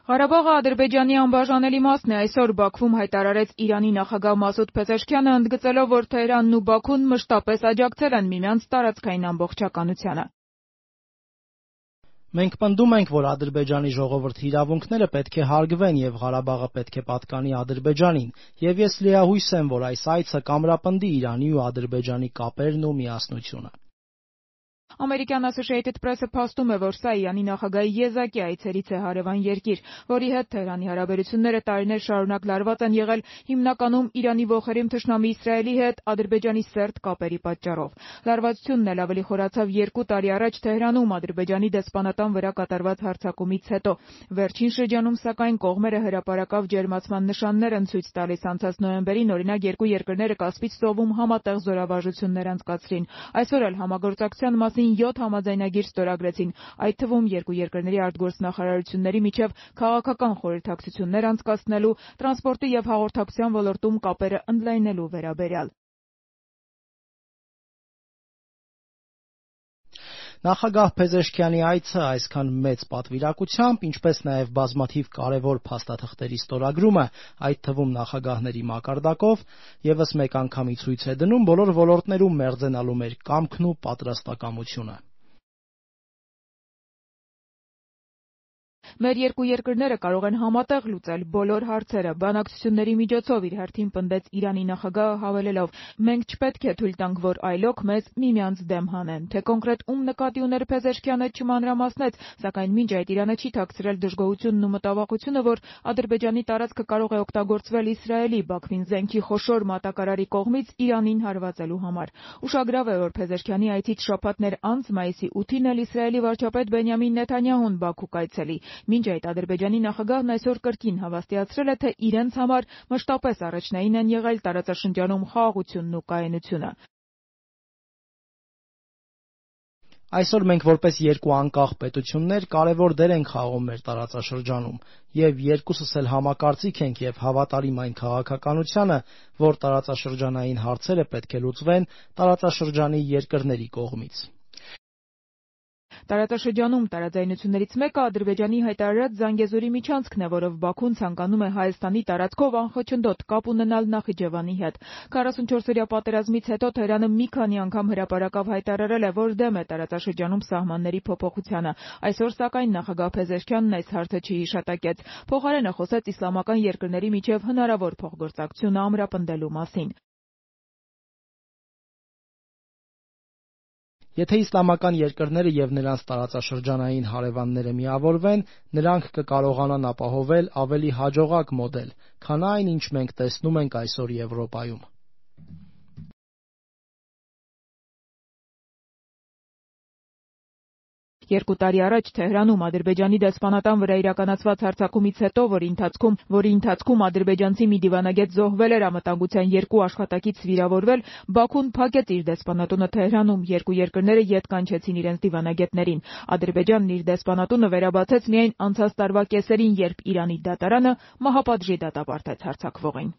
Ղարաբաղը Ադրբեջանի անբաժանելի մասն է, այսօր Բաքվում հայտարարեց Իրանի նախագահ Մասուդ Փեզեշքյանը, ընդգծելով, որ Թեհրանն ու Բաքուն մշտապես աջակցել են միմյանց տարածքային ամբողջականությանը։ Մենք պնդում ենք, որ Ադրբեջանի ժողովրդի իրավունքները պետք է հարգվեն եւ Ղարաբաղը պետք է պատկանի Ադրբեջանին, եւ ես լիահույս եմ, որ այս այցը կամրապնդի Իրանի ու Ադրբեջանի կապերն ու միասնությունը։ Ամերիկյան Associated Press-ը փաստում է, որ սա Իրանի նախագահի եզակի այցերից է հարևան երկիր, որի հետ Թեհրանի հարաբերությունները տարիներ շարունակ լարված են եղել հիմնականում Իրանի ոխերիմ թշնամի Իսրայելի հետ Ադրբեջանի սերտ կապերի պատճառով։ Լարվածությունն էլ ավելի խորացավ 2 տարի առաջ Թեհրանում Ադրբեջանի դեսպանատան վրա կատարված հարձակումից հետո։ Վերջին շրջանում, սակայն, կողմերը հրապարակավ ջերմացման նշաններ են ցույց տալիս։ Անցած նոյեմբերին, օրինակ, երկու երկրները Կասպից ծովում համատեղ զորավարժություններ անցկացրին։ Այսօր էլ համագործակցության մասին 7 համաձայնագիր ստորագրեցին, այդ թվում երկու երկրների արտգործնախարարությունների միջև քաղաքական խորհրդակցություններ անցկացնելու, տրանսպորտի եւ հաղորդակցության ոլորտում կապերը ընդլայնելու վերաբերյալ։ Նախագահ Փեզեշքյանի այցը այսքան մեծ պատվիրակությամբ, ինչպես նաև բազմաթիվ կարևոր փաստաթղթերի ստորագրումը, այդ թվում նախագահների մակարդակով, եւս մեկ անգամի ցույց է դնում բոլոր ոլորտներում մերձենալու մեր կամքն ու պատրաստակամությունը։ Մեր երկու երկրները կարող են համատեղ լուծել բոլոր հարցերը։ Բանակցությունների միջոցով իր հերթին պնդեց Իրանի նախագահը, հավելելով. մենք չպետք է թույլ տանք, որ այլոք մեզ միմյանց դեմ հանեն։ Թե կոնկրետ ում նկատի ուներ Փեզեշքյանը չմանրամասնեց, սակայն մինչ այդ Իրանը չի թաքցրել դժգոհությունն ու մտավախությունը, որ Ադրբեջանի տարածքը կարող է օգտագործվել Իսրայելի Բաքվին զենքի խոշոր մատակարարի կողմից Իրանին հարվածելու համար։ Ուշագրավ է, որ Փեզեշքյանի այցից շաբաթներ անց մայիսի 8-ին էլ Իսրայելի վարչապետ Բենյամին Նեթանյահուն Բաքու կայցելի։ Մինչ այդ Ադրբեջանի նախագահն այսօր կրկին հավաստիացրել է, թե իրենց համար մշտապես առաջնային են եղել տարածաշրջանում խաղաղությունն ու կայունությունը։ Այսօր մենք որպես երկու անկախ պետություններ կարևոր դեր ենք խաղում մեր տարածաշրջանում, եւ երկուսս էլ համակարծիք ենք եւ հավատարիմ այն քաղաքականությանը, որ տարածաշրջանային հարցերը պետք է լուծվեն տարածաշրջանի երկրների կողմից։ Տարածաշրջանում տարաձայնություններից մեկը Ադրբեջանի հայտարարած Զանգեզուրի միջանցքն է, որով Բաքուն ցանկանում է Հայաստանի տարածքով անխոչնդոտ կապ ունենալ Նախիջևանի հետ։ 44-օրյա պատերազմից հետո Թեհրանը մի քանի անգամ հրապարակավ հայտարարել է, որ դեմ է տարածաշրջանում սահմանների փոփոխությանը։ Այսօր, սակայն, նախագահ Փեզեշքյանն այս հարցը չհիշատակեց։ Փոխարենը խոսեց իսլամական երկրների միջև հնարավոր փոխգործակցությունը ամրապնդելու մասին։ Եթե իսլամական երկրները եւ նրանց տարածաշրջանային հարևանները միավորվեն, նրանք կկարողանան ապահովել ավելի հաջողակ մոդել, քան այն, ինչ մենք տեսնում ենք այսօր Եվրոպայում։ Երկու տարի առաջ Թեհրանում Ադրբեջանի դեսպանատան վրա իրականացված հարձակումից հետո, որի ընթացքում ադրբեջանցի մի դիվանագետ զոհվել էր, անվտանգության 2 աշխատակից վիրավորվել, Բաքուն փակեց իր դեսպանատունը Թեհրանում, երկու երկրները ետ կանչեցին իրենց դիվանագետներին։ Ադրբեջանն իր դեսպանատունը վերաբացեց միայն անցած տարվա կեսերին, երբ Իրանի դատարանը մահապատժի դատապարտեց հարձակվողին։